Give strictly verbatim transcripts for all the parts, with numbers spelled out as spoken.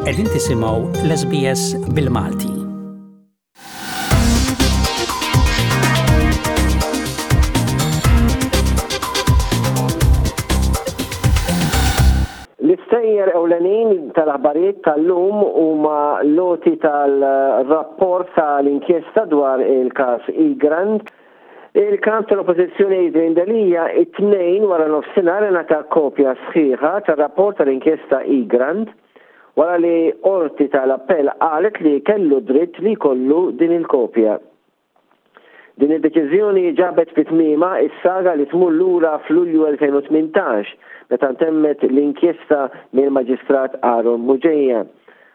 Qegħdin tisimgħu l-S B S bil-Malti. L-istejjer ewlenin tal-aħbarijiet tal-lum huma l-għoti tal-rapport tal-inkjesta dwar il-każ Egrant. Il-kap tal-Oppożizzjoni Adrian Delia it-Tnejn wara nofsinhar ingħata kopja sħiħa tar-rapport tal-inkjesta Egrant wara li qorti tal-appell qalet li kellu dritt li jkollu din il-kopja. Din id-deċiżjoni ġabet fi tmiema is-saga li tmur lura f'Lulju elfejn u tmintax meta ntemmet l-inkjesta mill-Maġistrat Aaron Bugeja.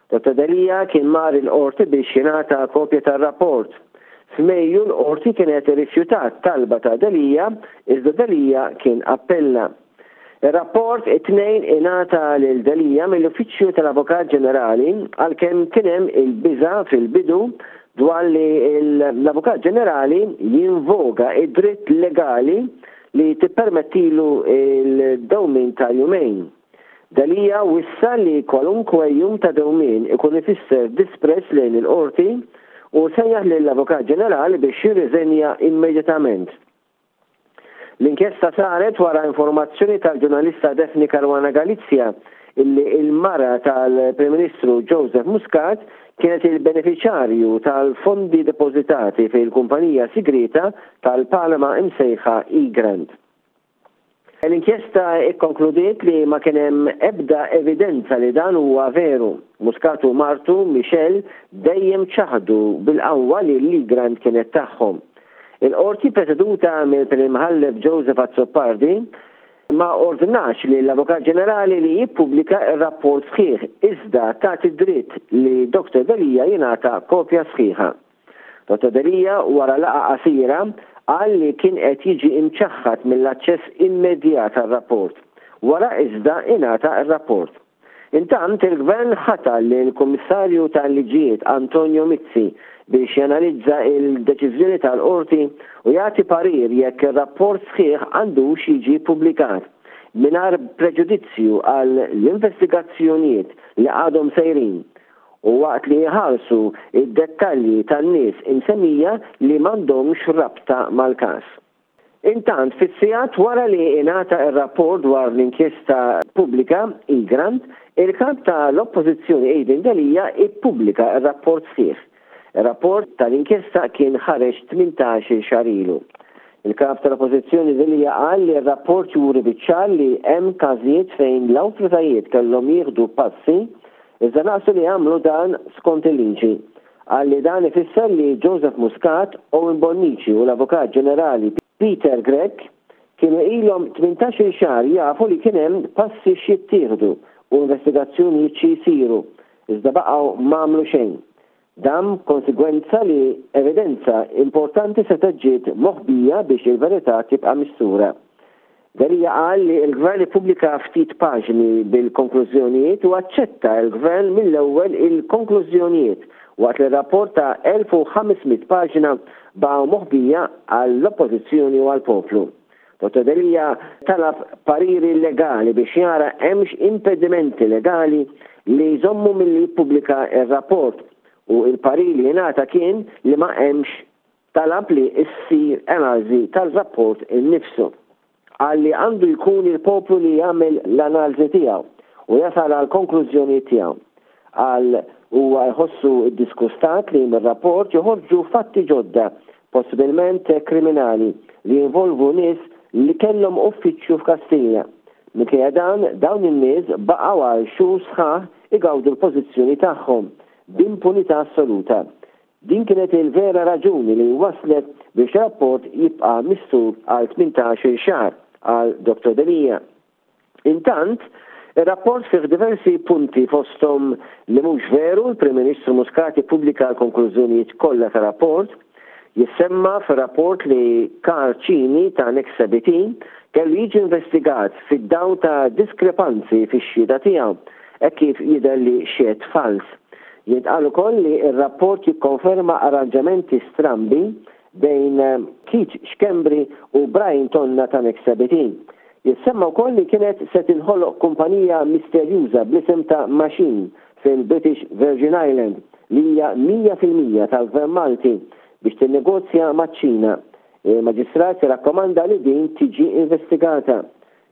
Dottor Delia kien mar il-qorti biex jingħata kopja tar-rapport. F'Mejju l-qorti kienet irrifjutat talba ta' Delia, iżda Delia kien appella. Ir-rapport it-Tnejn ingħata lil Delia mill-Uffiċċju tal-Avukat Ġenerali, għalkemm kien hemm il-biża fil-bidu dwar li l-Avukat Ġenerali jinvoga id-dritt legali li tippermettilu il-dewmin ta' jumejn. Delia wissa li kwalunkwe jum ta' dewmin ikun ifisser disprezz lejn il-qorti u sejjaħ lill-Avukat Ġenerali biex jirriżenja immedjatament. L-inkjesta saret wara informazzjoni tal-ġurnalista Daphne Caruana Galizia illi il-mara tal-Prim Ministru Joseph Muscat kienet il-beneficjarju tal-fondi depożitati fil-kumpanija sigrita tal-Panama imsejħa Egrant. L-inkjesta ikkonkludiet li ma kien hemm ebda evidenza li dan huwa veru. Muscat u martu Michelle dejjem ċaħdu bil-qawwa li l-Egrant kienet tagħhom. Il-qorti preseduta mill-Prim Imħallef Joseph Azzopardi ma ordnax li l-Avukat Ġenerali li jippubblika ir-rapport sħiħ, iżda tagħti dritt li Dottor Delia jingħata kopja sħiħa. Dottor Delia, wara laqgħa qasira, qal li kien qed jiġi imċaħħad mill-aċċess immedjat għar-rapport. Wara iżda ingħata ir-rapport. Intant, il-Gvern ħatar lill-Kummissarju tal-Liġijiet Antonio Mizzi biex janalizza il-deċiżjoni tal-qorti u jagħti parir jekk ir-rapport sħiħ għandux jiġi publikat mingħajr preġudizzju għal l-investigazzjonijiet li għadhom sejrin u waqt li jħarsu id-dettalji tan-nies imsemmija li m'għandhomx rabta mal-każ. Intant, fis-sigħat wara li ingħata ir-rapport dwar l-inkjesta pubblika Egrant, il-kap tal-Oppożizzjoni Adrian Delia ippubblika ir-rapport sħiħ. Ir-rapport tal-inkjesta kien ħareġ tmintax-il xahar ilu. Il-kap tal-Oppożizzjoni Delia qal li r-rapport juri biċ-ċar li hemm każijiet fejn l-awtoritajiet kellhom jieħdu passi, iżda naqsu li jagħmlu dan skont il-liġi. Qal li dan ifisser li Joseph Muscat, Owen Bonnici u l-Avukat Ġenerali Peter Grech kienu ilhom tmintax-il xahar jafu li kien hemm passi x'jittieħdu u investigazzjonijiet xi jsiru, iżda baqgħu m'għamlu xejn. Dan konsegwenza li evidenza importanti se ġiet moħbija biex il-verità tibqa' mistura. Delia qal li l-gvern ippubblika ftit paġni bil-konklużjonijiet u aċċetta l-gvern mill-ewwel il-konklużjonijiet, waqt li rapport ta' elf u ħames mitt paġna baqgħu moħbija għall-oppożizzjoni u għall-poplu. Dottor Delia talab pariri legali biex jara hemmx impedimenti legali li jżommu milli jippubblika ir-rapport u il-parir li jingħata kien li ma hemmx. Talab li issir analiżi tal-rapport innifsu. Qal li għandu jkun il-poplu li jagħmel l-analiżi tiegħu u jasal għal konklużjoni tiegħu. Qal huwa jħossu ddisgustat li mir-rapport joħorġu fatti ġodda, possibilment kriminali, li jinvolvu nies li kellhom uffiċċju f'Kastilja. Minkejja dan, dawn in-nies baqgħu għal xhur sħaħ igawdu l-pożizzjoni tagħhom b'impunità assoluta. Din kienet il-vera raġuni li waslet biex rapport jibqa' mistur għal tmintax-il xahar, qal Dottor Delia. Intant, il-rapport fih diversi punti, fostom li mhux veru l-Prim Ministru Muscat ippubblika l-konklużjonijiet kollha ta' rapport. Jissemma fir-rapport li Karl Cini ta' Nexa B T kellu jiġi investigat fid-dawl ta' diskrepanzi fix-xhieda tiegħu e kif jidher li xehed fals. Jintqal ukoll li r-rapport jikkonferma arranġamenti strambi bejn Keith Schembri u Brian Tonna ta' Nexa B T. Jissemma wkoll li kienet se tinħoloq kumpanija misterjuża bl-isem ta' Machine fil-British Virgin Island li hija mija fil-mija tal-Gvern Malti biex tinnegozja maċ-Ċina. Il-Maġistrat irrakkomanda li din tiġi investigata.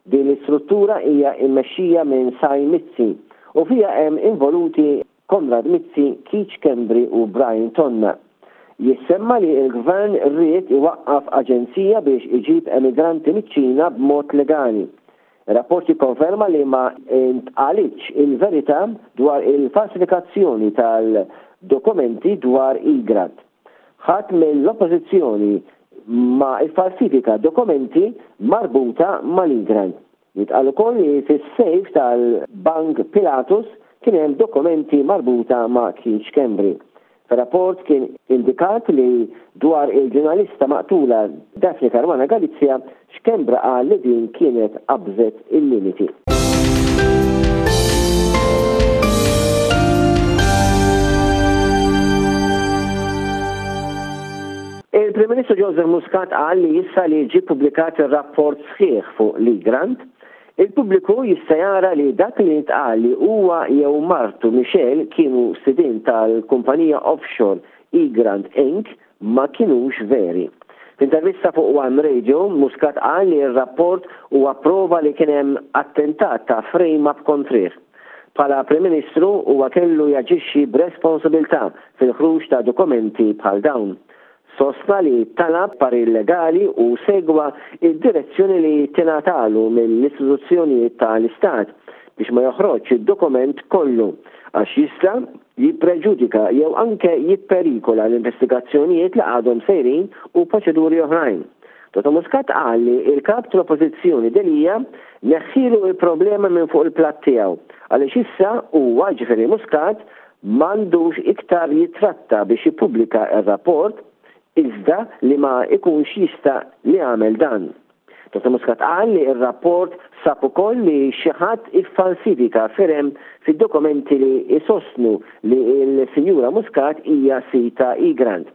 Din l-istruttura hija mmexxija minn Sai Mizzi u fiha hemm involuti Konrad Mizzi, Keith Schembri u Brian Tonna. Jissemma li l-Gvern ried iwaqqaf aġenzija biex iġib emigranti miċ-Ċina b'mod legali. Ir-rapport jikkonferma li ma ntqalitx il-verità dwar il-falsifikazzjoni tal-dokumenti dwar Egrant. Ħadd mill-Oppożizzjoni ma iffalsifika dokumenti marbuta mal-Egrant. Jitqal ukoll li fis-sejf tal-Bank Pilatus kien hemm dokumenti marbuta ma' Keith Schembri. Fir-rapport kien indikat li dwar il-ġurnalista maqtula Daphne Caruana Galizia, Schembri qal li din kienet qabżet il-limiti. Il-Prim Ministru Joseph Muscat qal li issa li ġie ppubblikat ir-rapport sħiħ fuq l-Egrant, il-pubbliku jista' jara li dak li ntqal li huwa jew martu Michelle kienu sidien tal-kumpanija offshore Egrant Incorporated ma kinux veri. F'intervista fuq One Radio, Muscat qal li r-rapport huwa prova li kien hemm attentat ta' frame-up kontrih. Bħala Prim Ministru huwa kellu jaġixxi b'responsabilità fil-ħruġ ta' dokumenti bħal dawn. Sostna li talab parir legali u segwa id-direzzjoni li tingħatalu mill-istituzzjonijiet tal-Istat biex ma joħroġx id-dokument kollu għax jista' jippreġudika jew anke jipperikola l-investigazzjonijiet li għadhom sejrin u proċeduri oħrajn. Dottor Muscat qal li il-kap tal-Oppożizzjoni Delia neħħilu il-problema minn fuq il-platt tiegħu għaliex issa huwa, ġifieri Muscat, m'għandux iktar jitratta biex jippubblika r-rapport iżda li ma ikunx jista' li għamel dan. Dottor Muscat qal li r-rapport sab ukoll li xi ħadd iffalsifika firem fid-dokumenti li jsostnu li l-Sinjura Muscat hija sita Egrant.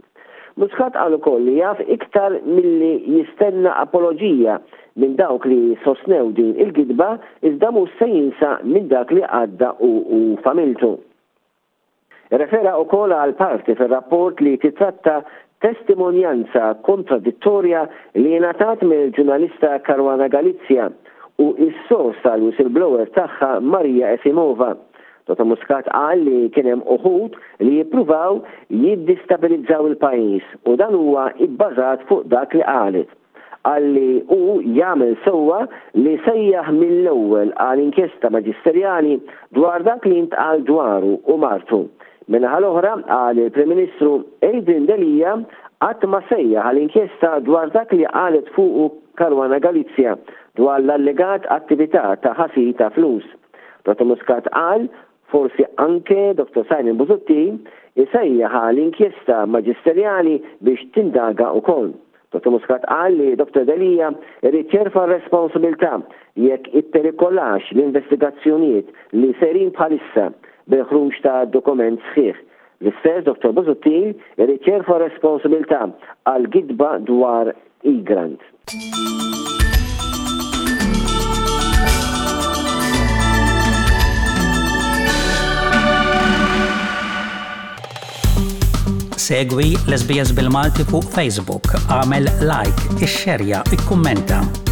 Muscat qal ukoll li jaf iktar milli jistenna apoloġija minn dawk li sostnew din il-gidba iżda mhux se jinsa minn dak li għadda u, u familtu. Refera wkoll għal parti fir-rapport li titratta testimonjanza kontradittorja li ngħatat mill-ġurnalista Caruana Galizia u s-sors tal-whistleblower tagħha Maria Efimova. Dottor Muscat qal li kien hemm uħud li jippruvaw jiddistabilizzaw il-pajjiż u dan huwa bbażat fuq dak li qalet. Qal li hu jagħmel sewwa li sejjaħ mill-ewwel għal inkjesta maġisterjali dwar dak li ntqal dwaru u martu. Min-naħa l-oħra qal il-Prim Ministru Adrian Delia qatt ma sejjaħ għal inkjesta dwar dak li qalet fuqu Caruana Galizia dwar l-allegat attività ta' ħasil ta' flus. Dottor Muscat qal forsi anke Dottor Simon Busuttil isejjaħ għal inkjesta maġisterjali biex tindaga wkoll. Dottor Muscat qal li Dottor Delia irid jerfa' responsabilità jekk ipperikolax l-investigazzjonijiet li serin bħalissa bil-ħruġ ta' dokument sħiħ. L-istess Dottor Busuttil irid jerfa' responsabilità għal gidba dwar Egrant. Segwi l-S B S bil-Malti fuq Facebook, għamel like, ixxerja, ikkummenta.